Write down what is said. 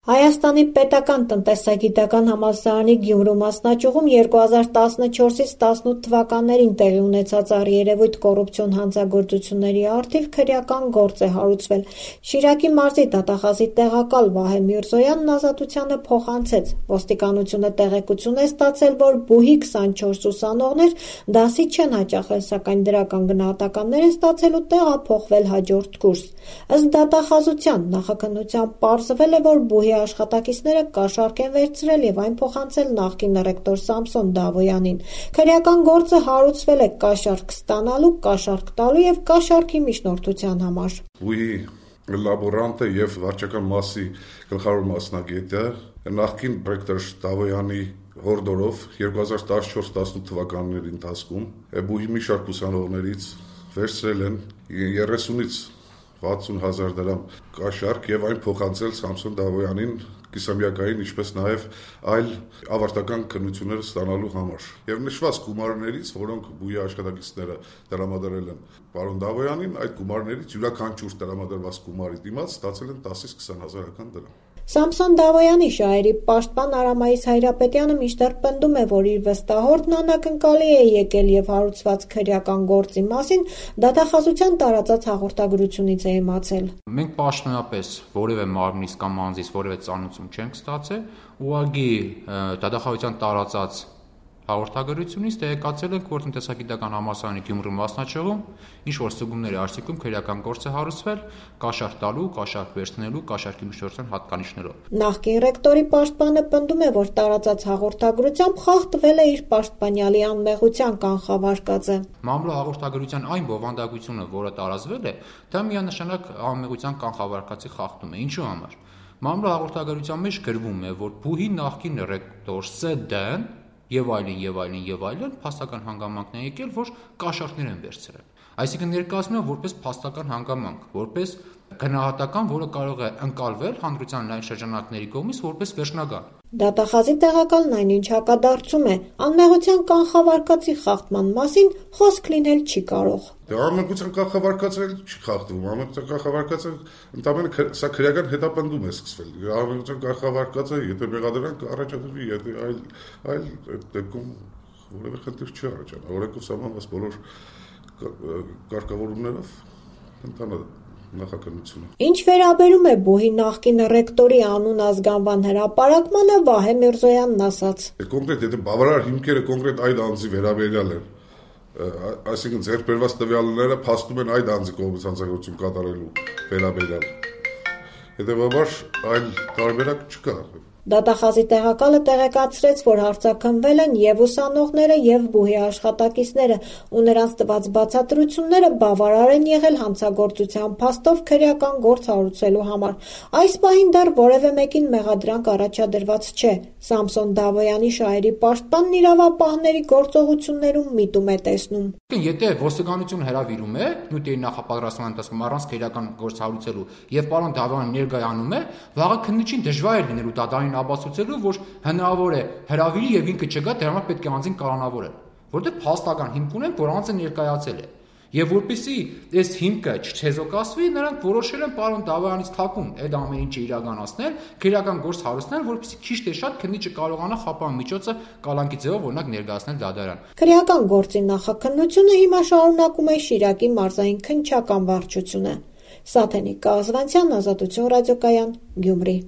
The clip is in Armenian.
Հայաստանի պետական տնտեսագիտական համալսարանի Գյումրու մասնաճյուղում 2014-ից 18 թվականներին տեղի ունեցած առերևույթ կոռուպցիոն հանցագործությունների առթիվ քրեական գործ է հարուցվել։ Շիրակի մարզի դատախազի տեղակալ Վահե Միրզոյանն Ազատությանը փոխանցեց. ոստիկանությունը տեղեկություն է ստացել, որ բուհի 24 ուսանողներ դասի չեն հաճախել, սակայն դրական գնահատականներ են ստացել ու տեղափոխվել հաջորդ կուրս։ Ըստ դատախազության նախաքննությամբ պարզվել է, որ բուհի աշխատակիցները կաշառք են վերցրել եւ այն փոխանցել նախկին ռեկտոր Սամսոն Դավոյանին։ Քրեական գործը հարուցվել է կաշառք ստանալու, կաշառք տալու եւ կաշառքի միջնորդության համար։ Բուհի լաբորանտը եւ վարչական մասի գլխավոր մասնագետը նախկին ռեկտոր Դավոյանի հորդորով 2014-18 թվականների ընթացքում բուհի մի շարք ուսանողներից վերցրել են 30-ից 60,000 դրամ կաշառք եւ այն փոխանցել Սամսոն Դավոյանին կիսամյակային, ինչպես նաեւ այլ ավարտական քննություններ ստանալու համար։ Եվ նշված գումարներից, որոնք բուհի աշխատակիցները տրամադրել են պարոն Դավոյանին, այդ գումարներից յուրաքանչյուր տրամադրված գումարի դիմաց ստացել են 10-ից 20,000 դրամ։ Սամսոն Դավոյանի շահերի պաշտպան Արամայիս Հայրապետյանը մինչդեռ պնդում է, որ իր վստահորդն անակնկալի է եկել եւ հարուցված քրեական գործի մասին դատախազության տարածած հաղորդագրությունից է իմացել։ Մենք պաշտոնապես որևէ մարմնից կամ անձից որևէ ծանուցում չենք ստացել, ուղղակի դատախազության տարածած հաղորդագրությունից տեղեկացել ենք, որ տնտեսագիտական համալսարանի Գյումրու մասնաճյուղում ինչ-որ ստուգումների արդյունքում քրեական գործ է հարուցվել կաշառք տալու, կաշառք վերցնելու, կաշառքի միջնորդության հատկանիշներով։ Նախկին ռեկտորի պաշտպանը պնդում է, որ տարածած հաղորդագրությամբ խախտվել է իր պաշտպանյալի անմեղության կանխավարկածը։ Մամլո-հաղորդագրության այն բովանդակությունը, որը տարածվել է, դա միանշանակ անմեղության կանխավարկածի խախտում է։ Ինչու համար։ Մամլո-հաղորդագրության մեջ գրվում է, որ բուհի նախկին ռեկտոր Ս.Դ.-ն եւ այլն փաստական հանգամանքն է եկել, որ կաշառքներ են վերցրել։ Այսինքն ներկայացնում է որպես փաստական հանգամանք, որպես գնահատական, որը կարող է ընկալվել հանրության լայն շրջանակների կողմից որպես վերջնական։ Դատախազի տեղակալն այնինչ հակադարձում է, անմեղության կանխավարկածի խախտման մասին խոսք լինել չի կարող։ Անմեղության կանխավարկածը չի խախտվում, անմեղության կանխավարկածը ընդամենը սա քրեական հետապնդում է սկսվել։ Անմեղության կանխավարկածը, եթե մեղադրանք առաջադրվի, եթե այլ դեպքում որևէ խնդիր չի առաջանա, օրենքով սահմանված բոլոր կարգավորումներով ընթանա նախաքննությունը։ Ինչ վերաբերում է բուհի նախկին ռեկտորի անուն ազգանվան հրապարակմանը, Վահե Միրզոյանն ասաց. Կոնկրետ եթե բավարար հիմքերը կոնկրետ այդ անձի վերաբերյալ են, այսինքն ձեռքբերված տվյալները փաստում են այդ անձի կողմից հանցագործություն կատարելու վերաբերյալ։ Հետևաբար այլ տարբերակ չկա։ Դատախազի տեղակալը տեղեկացրեց, որ հարցաքննվել են եւ ուսանողները եւ բուհի աշխատակիցները ու նրանց տված բացատրությունները բավարար են եղել հանցագործության փաստով քրեական գործ հարուցելու համար։ Այս պահին դեռ որևէ մեկին մեղադրանք առաջադրված չէ։ Սամսոն Դավոյանի շահերի պաշտպանն իրավապահների գործողություններում միտում է տեսնում։ Եթե ոստիկանությունը հրավիրում է նյութերի նախապատրաստման ընթացքում առանց քրեական գործ հարուցելու եւ պարոն Դավոյանը ներկայանում է, վաղը քննիչին դժվար է լինելու դատարանին ապացուցելու, որ հնարավոր է հրավիրի եւ ինքը չգա, դրա համար պետք է անձին կալանավորել, որտեղ փաստական հիմք ունեն, որ անձը ներկայացել է։ Եվ որպեսզի այս հիմքը չչեզոքացվի, նրանք որոշել են պարոն Դավոյանից թաքուն այդ ամեն ինչը իրականացնել, քրեական գործ հարուցնել, որպեսզի քիչ թե շատ քննիչը կարողանա խափան միջոցը կալանքի ձևով օրինակ ներկայացնել դատարան։ Քրեական գործի նախաքննությունը հիմա շարունակում է Շիրակի մարզային քննչական վարչությունը։ Սաթենիկ Կազվանցյան, Ազատություն ռադիոկայան, Գյումրի։